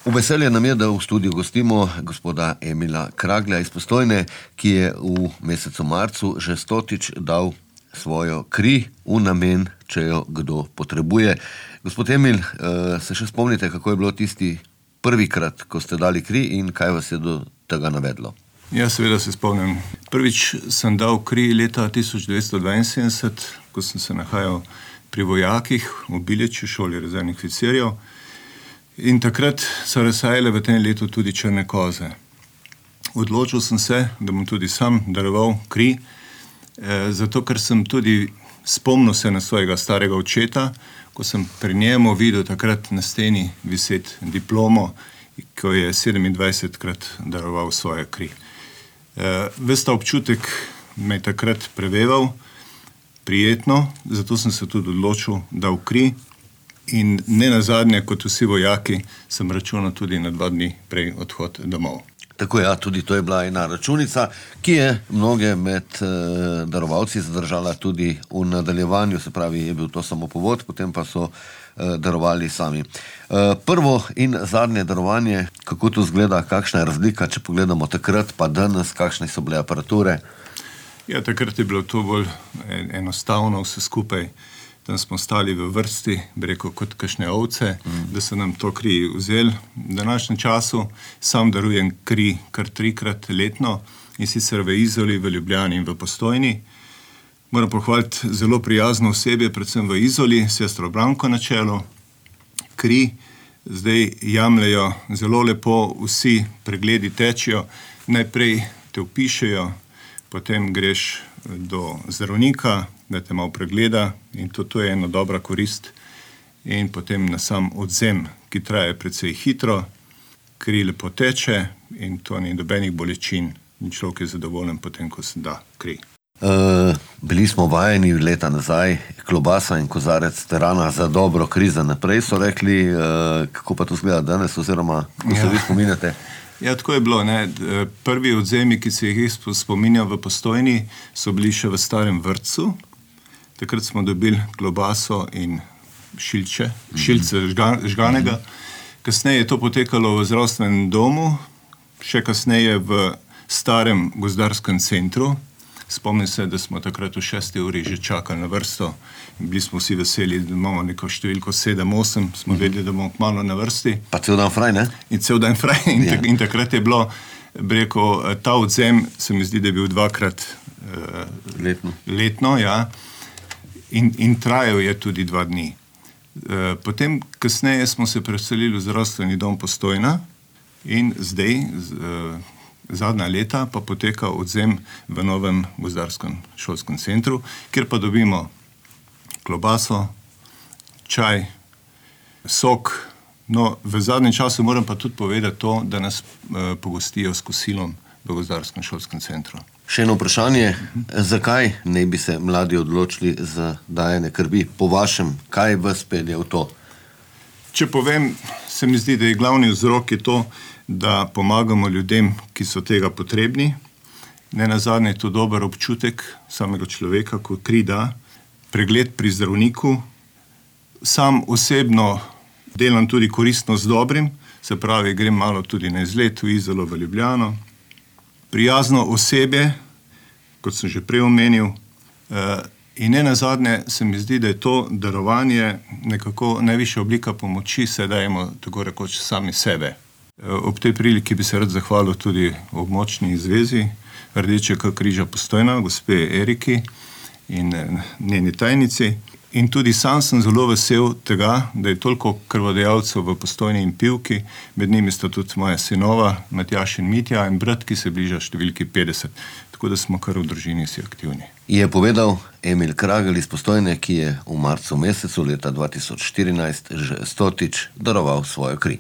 V veselje nam je, da v studiu gostimo gospoda Emila Kraglja iz Postojne, ki je v mesecu marcu že 100-tič dal svojo kri v namen, če jo kdo potrebuje. Gospod Emil, se še spomnite, kako je bilo tisti prvikrat, ko ste dali kri in kaj vas je do tega navedlo? Ja, seveda se spomnim. Prvič sem dal kri leta 1972, ko sem se nahajal pri vojakih v Bileči, šoli rezervnih oficirjev. In takrat so razsajale v tem letu tudi črne koze. Odločil sem se, da bom tudi sam daroval kri, zato ker sem tudi spomnil se na svojega starega očeta, ko sem pri njemu videl takrat na steni viseti diplomo, ko je 27krat daroval svoje kri. Ves ta občutek me je takrat preveval, prijetno, zato sem se tudi odločil, da v kri. In ne nazadnje, kot vsi vojaki, sem računal tudi na 2 dni prej odhod domov. Tako ja, tudi to je bila ena računica, ki je mnoge med darovalci zadržala tudi v nadaljevanju, se pravi, je bil to samo povod, potem pa so darovali sami. Prvo in zadnje darovanje, kako to izgleda, kakšna je razlika, če pogledamo takrat, pa danes, kakšne so bile aparature? Ja, takrat je bilo to bolj enostavno vse skupaj. Tam smo stali v vrsti, bi rekel, kot kakšne ovce, da so nam to kri vzeli. V današnjem času sam darujem kri kar 3krat letno, in sicer v Izoli, v Ljubljani in v Postojni. Moram pohvaliti zelo prijazno osebje, predvsem v Izoli, sestro Branko na čelu. Kri zdaj jemljejo zelo lepo, vsi pregledi tečejo. Najprej te vpišejo, potem greš do zdravnika, da te malo pregleda, in to je ena dobra korist. In potem na sam odzem, ki traje precej hitro, kri lepo teče in to ni nobenih bolečin. In človek je zadovoljen potem, ko se da kri. Bili smo vajeni leta nazaj, klobasa in kozarec terana za dobro kri za naprej, so rekli, kako pa to izgleda danes, oziroma ko se vi spominjate? Ja, tako je bilo, ne. Prvi odzemi, ki se jih spominjam v Postojni, so bili še v starem vrtcu. Takrat smo dobili klobaso in šilce žganega. Kasneje je to potekalo v zdravstvenem domu, še kasneje v starem gozdarskem centru. Spomnim se, da smo takrat v 6. uri že čakali na vrsto. Bili smo vsi veseli, da imamo neko številko 7-8, smo vedeli, da bomo kmalu na vrsti. Pa cel dan fraj, ne? In cel dan fraj. In takrat je bilo, bi rekel, ta odzem, se mi zdi, da je bil 2krat letno, ja. In trajal je tudi 2 dni. Potem, kasneje smo se preselili v zdravstveni dom Postojna in zdaj, zadnja leta, pa poteka odzem v novem gozdarskem šolskem centru, kjer pa dobimo klobaso, čaj, sok. No, v zadnjem času moram pa tudi povedati to, da nas pogostijo s kosilom v gozdarskem šolskem centru. Še eno vprašanje, zakaj ne bi se mladi odločili za dajanje krvi? Po vašem, kaj vas pelje v to? Če povem, se mi zdi, da je glavni vzrok je to, da pomagamo ljudem, ki so tega potrebni. Ne nazadnje je to dober občutek samega človeka, ko kri da, pregled pri zdravniku. Sam osebno delam tudi koristno z dobrim, se pravi, grem malo tudi na izlet v Izolo, v Ljubljano. Prijazno osebje, kot sem že prej omenil, in ne nazadnje se mi zdi, da je to darovanje nekako najvišja oblika pomoči, se dajemo tako rekoč sami sebe. Ob tej priliki bi se rad zahvalil tudi območni zvezi Rdečega križa Postojna, gospe Eriki in njeni tajnici. In tudi sam sem zelo vesel tega, da je toliko krvodajalcev v Postojni in Pivki, med njimi sta tudi moja sinova, Matjaž in Mitja, in brat, ki se bliža številki 50. Tako da smo kar v družini vsi aktivni. Je povedal Emil Kragelj iz Postojne, ki je v marcu mesecu leta 2014 že 100-tič daroval svojo kri.